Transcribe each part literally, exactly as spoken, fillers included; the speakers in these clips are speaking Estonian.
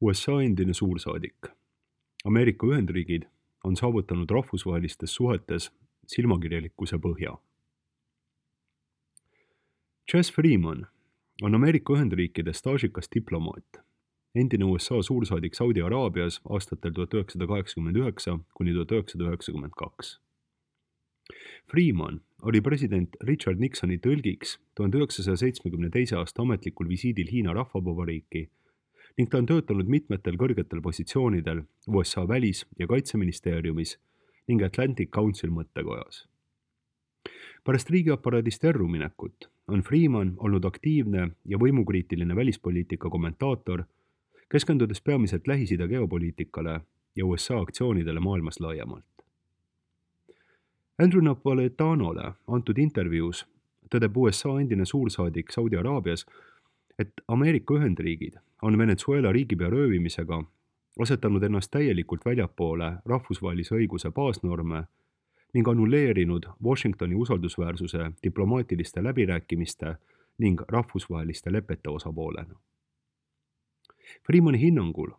U S A endine suursaadik. Ameerika Ühendriigid on saavutanud rahvusvahelistes suhetes silmakirjalikkuse põhja. Chas Freeman on Ameerika Ühendriikide staažikas diplomaat, endine U S A suursaadik Saudi Araabias aastatel tuhat üheksasada kaheksakümmend üheksa kuni tuhat üheksasada üheksakümmend kaks. Freeman oli president Richard Nixoni tõlgiks tuhande üheksasaja seitsmekümne teise aasta ametlikul visiidil Hiina Rahvavabariiki ning ta on töötanud mitmetel kõrgetel positsioonidel U S A välis- ja kaitseministeeriumis ning Atlantic Council mõttekojas. Pärast riigiaparaadist erruminekut on Freeman olnud aktiivne ja võimukriitiline välispoliitika kommentaator, keskendudes peamiselt Lähis-Ida geopoliitikale ja U S A aktsioonidele maailmas laiemalt. Andrew Napolitanole antud intervjuus tõdeb U S A endine suursaadik Saudi Araabias, et Ameerika Ühendriigid on Venezuela riigipea röövimisega asetanud ennast täielikult väljapoole rahvusvahelise õiguse baasnorme ning annulleerinud Washingtoni usaldusväärsuse diplomaatiliste läbirääkimiste ning rahvusvaheliste lepete osapoolena. Freemani hinnangul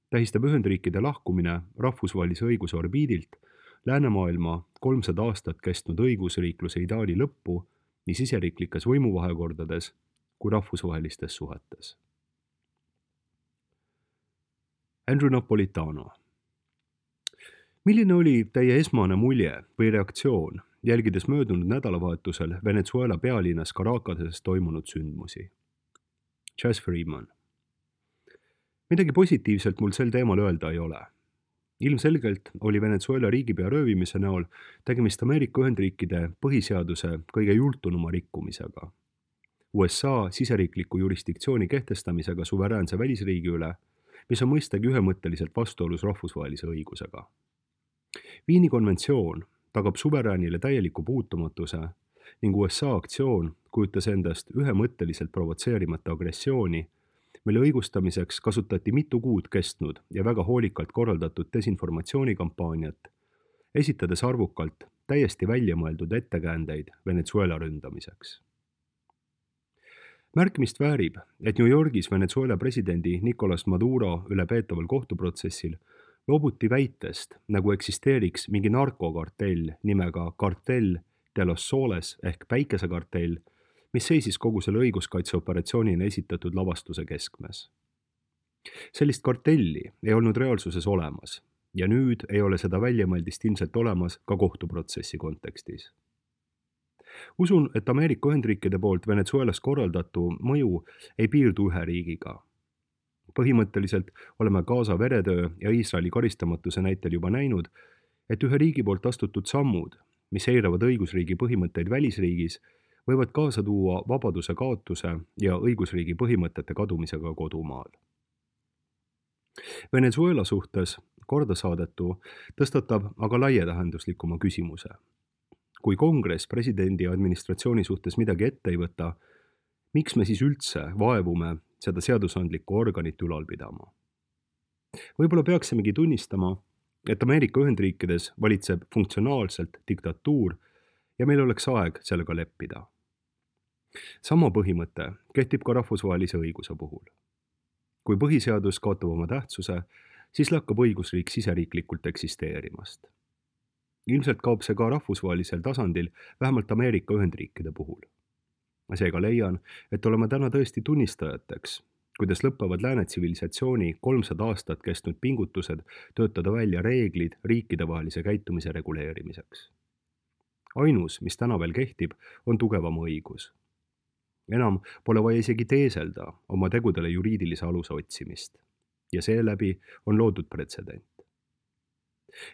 tähistab Ühendriikide lahkumine rahvusvahelise õiguse orbiidilt läänemaailma kolmsada aastat kestnud õigusriikluse ideaali lõppu nii siseriiklikes võimuvahekordades kui rahvusvahelistes suhetes. Andrew Napolitano. Milline oli teie esmane mulje või reaktsioon, jälgides möödunud nädalavahetusel Venezuela pealinnas Caracases toimunud sündmusi? Chas Freeman. Midagi positiivselt mul sel teemal öelda ei ole. Ilmselgelt oli Venezuela riigipea röövimise näol tegemist Ameerika Ühendriikide põhiseaduse kõige jultunuma rikkumisega. U S A siseriikliku jurisdiktsiooni kehtestamisega suveräänse välisriigi üle, mis on mõistagi ühemõtteliselt vastuolus rahvusvahelise õigusega. Viini konventsioon tagab suveräänile täieliku puutumatuse ning U S A aktsioon kujutas endast ühemõtteliselt provotseerimata agressiooni, mille õigustamiseks kasutati mitu kuud kestnud ja väga hoolikalt korraldatud desinformatsioonikampaaniat, esitades arvukalt täiesti väljamõeldud ettekäändeid Venezuela ründamiseks. Märkimist väärib, et New Yorgis Venezuela presidendi Nicolas Maduro üle peetaval kohtuprotsessil loobuti väitest, nagu eksisteeriks mingi narkokartell nimega Cartel de los Soles ehk päikesekartell, mis seisis kogu selle õiguskaitseoperatsioonina esitatud lavastuse keskmes. Sellist kartelli ei olnud reaalsuses olemas ja nüüd ei ole seda väljamõeldist ilmselt olemas ka kohtuprotsessi kontekstis. Usun, et Ameerika Ühendriikide poolt Venezuelas korraldatu mõju ei piirdu ühe riigiga. Põhimõtteliselt oleme Gaza veretöö ja Iisraeli karistamatuse näitel juba näinud, et ühe riigi poolt astutud sammud, mis eiravad õigusriigi põhimõtteid välisriigis, võivad kaasa tuua vabaduse kaotuse ja õigusriigi põhimõtete kadumisega kodumaal. Venezuela suhtes kordasaadetu tõstatab aga laietähenduslikuma küsimuse. Kui kongress presidendi administratsiooni suhtes midagi ette ei võta, miks me siis üldse vaevume seda seadusandlikku organit ülal pidama? Võib-olla peaksimegi tunnistama, et Ameerika Ühendriikides valitseb funktsionaalselt diktatuur ja meil oleks aeg sellega leppida. Sama põhimõte kehtib ka rahvusvahelise õiguse puhul. Kui põhiseadus kaotab oma tähtsuse, siis lakkab õigusriik siseriiklikult eksisteerimast. Ilmselt kaob see ka rahvusvahelisel tasandil, vähemalt Ameerika Ühendriikide puhul. Seega leian, et oleme täna tõesti tunnistajateks, kuidas lõppevad lääne tsivilisatsiooni kolmsada aastat kestnud pingutused töötada välja reeglid riikidevahelise käitumise reguleerimiseks. Ainus, mis täna veel kehtib, on tugevama õigus. Enam pole vaja isegi teeselda oma tegudele juriidilise aluse otsimist ja seeläbi on loodud pretsedent.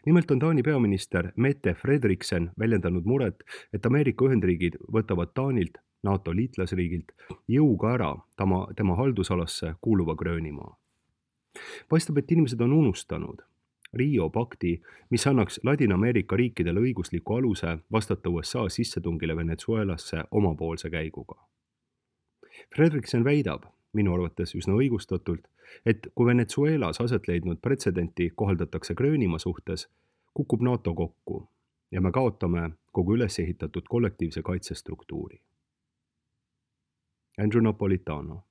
Nimelt on Taani peaminister Mette Frederiksen väljendanud muret, et Ameerika Ühendriigid võtavad Taanilt, NATO liitlasriigilt, jõuga ära tema, tema haldusalasse kuuluva Gröönimaa. Paistab, et inimesed on unustanud Rio pakti, mis annaks Ladina-Ameerika riikidele õigusliku aluse vastata U S A sissetungile Venezuelasse omapoolse käiguga. Frederiksen väidab, minu arvates üsna õigustatult, et kui Venezuelas aset leidnud pretsedenti kohaldatakse Gröönimaa suhtes, kukub NATO kokku ja me kaotame kogu üles ehitatud kollektiivse kaitsestruktuuri. Andrew Napolitano.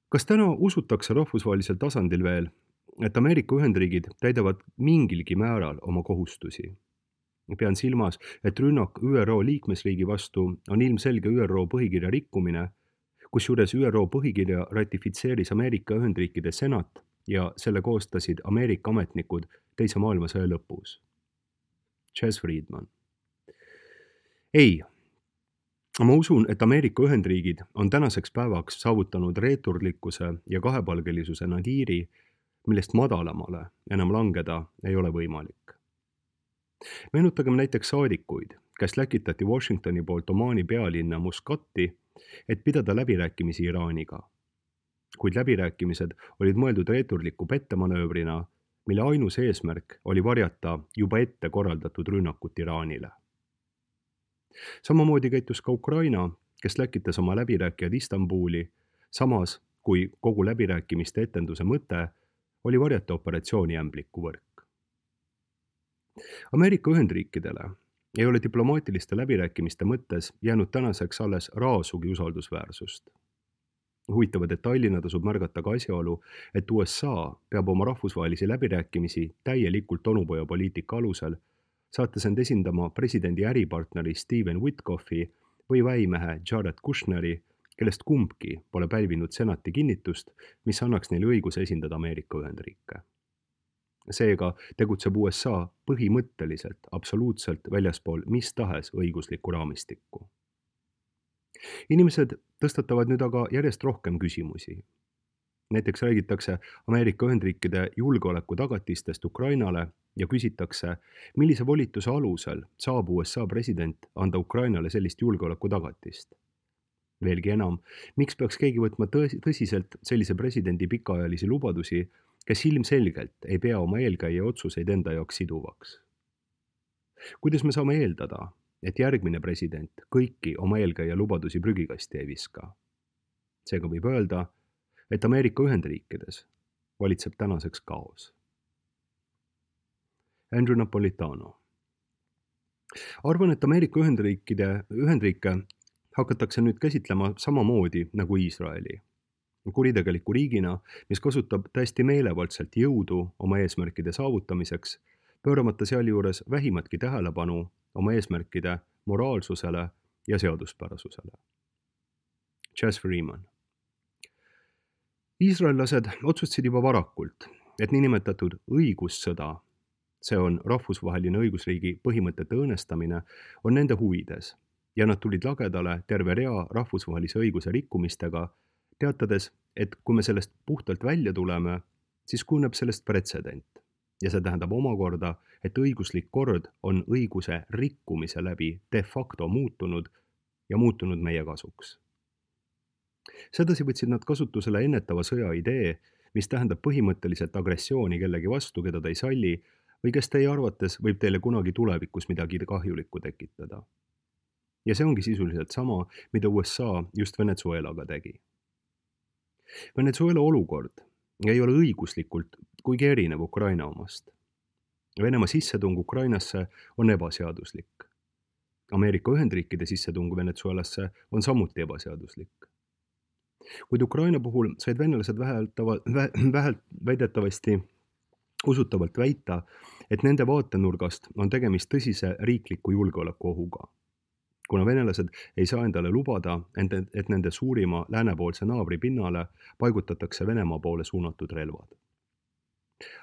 Kas täna usutakse rahvusvahelisel tasandil veel, et Ameerika Ühendriigid täidavad mingilgi määral oma kohustusi? Pean silmas, et rünnak Ü R O liikmesriigi vastu on ilmselge Ü R O põhikirja rikkumine, kusjuures Ü R O põhikirja ratifitseeris Ameerika Ühendriikide senat ja selle koostasid Ameerika ametnikud teise maailmasõja lõpus. Chess Friedman. Ei, ma usun, et Ameerika Ühendriigid on tänaseks päevaks saavutanud reeturlikkuse ja kahepalgelisuse nadiiri, millest madalamale enam langeda ei ole võimalik. Meenutagem näiteks saadikuid, kes läkitati Washingtoni poolt Omaani pealinna Muscati, et pidada läbirääkimisi Iraaniga. Kuid läbirääkimised olid mõeldud reeturliku pettemanöövrina, mille ainus eesmärk oli varjata juba ette korraldatud rünnakut Iraanile. Samamoodi käitus ka Ukraina, kes läkitas oma läbirääkijad Istanbuli, samas kui kogu läbirääkimiste etenduse mõte oli varjata operatsiooni ämbliku võrk. Ameerika Ühendriikidele ei ole diplomaatiliste läbirääkimiste mõttes jäänud tänaseks alles raasugi usaldusväärsust. Huvitava detailina tasub märgata ka asjaolu, et U S A peab oma rahvusvahelisi läbirääkimisi täielikult onupojapoliitika alusel, saates end esindama presidendi äripartneri Steven Witkoffi või väimehe Jared Kushneri, kellest kumbki pole pälvinud senati kinnitust, mis annaks neile õiguse esindada Ameerika Ühendriike. Seega tegutseb U S A põhimõtteliselt absoluutselt väljaspool mis tahes õiguslikku raamistikku. Inimesed tõstatavad nüüd aga järjest rohkem küsimusi. Näiteks räägitakse Ameerika Ühendriikide julgeoleku tagatistest Ukrainale ja küsitakse, millise volituse alusel saab U S A president anda Ukrainale sellist julgeoleku tagatist. Veelgi enam, miks peaks keegi võtma tõsiselt sellise presidendi pikaajalisi lubadusi, kes ilmselgelt ei pea oma eelkäija otsuseid enda jaoks siduvaks? Kuidas me saame eeldada, et järgmine president kõiki oma eelkäija lubadusi prügikasti ei viska? Seega võib öelda, et Ameerika Ühendriikides valitseb tänaseks kaos. Andrew Napolitano. Arvan, et Ameerika Ühendriikide, Ühendriike hakatakse nüüd käsitlema samamoodi nagu Iisraeli. Kuritegeliku riigina, mis kasutab täiesti meelevaldselt jõudu oma eesmärkide saavutamiseks, pööramata sealjuures vähimatki tähelepanu oma eesmärkide moraalsusele ja seaduspärasusele. Chess Freeman. Iisraellased otsustasid juba varakult, et niinimetatud õigussõda, see on rahvusvaheline õigusriigi põhimõtete õõnestamine, on nende huvides ja nad tulid lagedale terve rea rahvusvahelise õiguse rikkumistega, teatades, et kui me sellest puhtalt välja tuleme, siis kujuneb sellest pretsedent. Ja see tähendab omakorda, et õiguslik kord on õiguse rikkumise läbi de facto muutunud ja muutunud meie kasuks. Sedasi võtsid nad kasutusele ennetava sõja idee, mis tähendab põhimõtteliselt agressiooni kellegi vastu, keda ta ei salli, või kes teie arvates võib teile kunagi tulevikus midagi kahjulikku tekitada. Ja see ongi sisuliselt sama, mida U S A just Venezuelaga tegi. Venezuela olukord ei ole õiguslikult kuigi erinev Ukraina omast. Venemaa sissetung Ukrainasse on ebaseaduslik. Ameerika Ühendriikide sissetung Venezuelasse on samuti ebaseaduslik. Kuid Ukraina puhul said venelased väheltava, vä, vähelt väidetavasti usutavalt väita, et nende vaatenurgast on tegemist tõsise riikliku julgeolekuohuga. Kuna venelased ei saa endale lubada, et nende suurima läänepoolse naabri pinnale paigutatakse Venemaa poole suunatud relvad.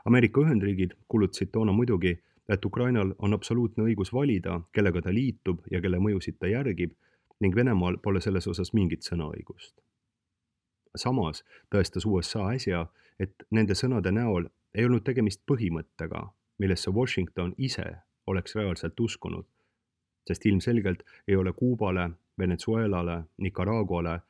Ameerika Ühendriigid kuulutasid toona muidugi, et Ukrainal on absoluutne õigus valida, kellega ta liitub ja kelle mõjusid ta järgib, ning Venemaal pole selles osas mingit sõnaõigust. Samas tõestas U S A äsja, et nende sõnade näol ei olnud tegemist põhimõttega, millesse Washington ise oleks reaalselt uskunud, sest ilmselgelt ei ole Kuubale, Venezuelale, Nicaraguale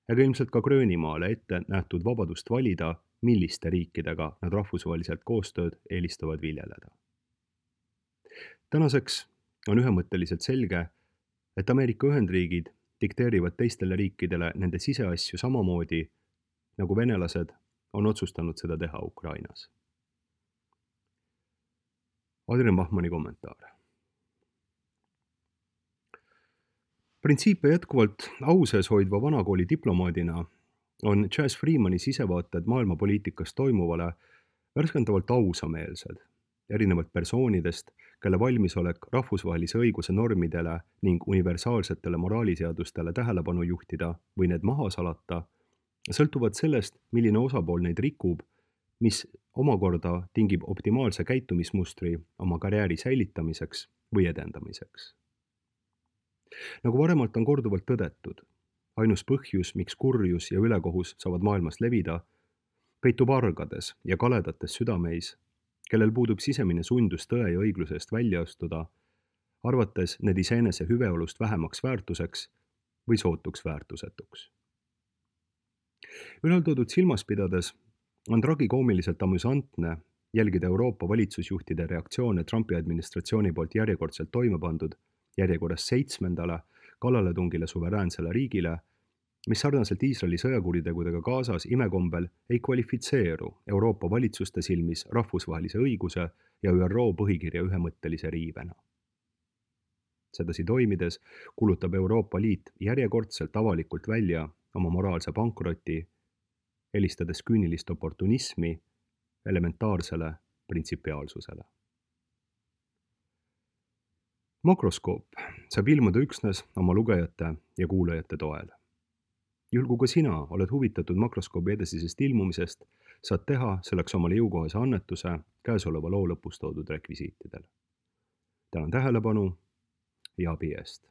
ega ilmselt ka Gröönimaale ette nähtud vabadust valida, milliste riikidega nad rahvusvaheliselt koostööd eelistavad viljeleda. Tänaseks on ühemõtteliselt selge, et Ameerika Ühendriigid dikteerivad teistele riikidele nende siseasju samamoodi, nagu venelased on otsustanud seda teha Ukrainas. Adrian Bachmanni kommentaar. Printsiipe jätkuvalt au sees hoidva vanakooli diplomaadina on Chas Freemani sisevaated maailmapoliitikas toimuvale värskendavalt ausameelsed, erinevalt persoonidest, kelle valmisolek rahvusvahelise õiguse normidele ning universaalsetele moraaliseadustele tähelepanu juhtida või need maha salata, sõltuvad sellest, milline osapool neid rikub, mis omakorda tingib optimaalse käitumismustri oma karjääri säilitamiseks või edendamiseks. Nagu varemalt on korduvalt tõdetud, ainus põhjus, miks kurjus ja ülekohus saavad maailmas levida, peitub argades ja kaledates südameis, kellel puudub sisemine sundus tõe ja õigluse eest välja astuda, arvates need iseenese hüveolust vähemaks väärtuseks või sootuks väärtusetuks. Ülaltoodud silmas pidades on tragikoomiliselt amüsantne jälgida Euroopa valitsusjuhtide reaktsioone Trumpi administratsiooni poolt järjekordselt toime pandud järjekorras seitsmendale kallaletungile suveräänsele riigile, mis sarnaselt Iisraeli sõjakuritegudega Gazas imekombel ei kvalifitseeru Euroopa valitsuste silmis rahvusvahelise õiguse ja Ü R O põhikirja ühemõttelise riivena. Sedasi toimides kuulutab Euroopa Liit järjekordselt avalikult välja oma moraalse pankroti, helistades küünilist oportunismi elementaarsele printsipiaalsusele. Makroskoop saab ilmuda üksnes oma lugejate ja kuulajate toel. Juhul kui ka sina oled huvitatud makroskoobi edasisest ilmumisest, saad teha selleks omale jõukohase annetuse käesoleva loo lõpus toodud rekvisiitidel. Tänan tähelepanu ja abi eest!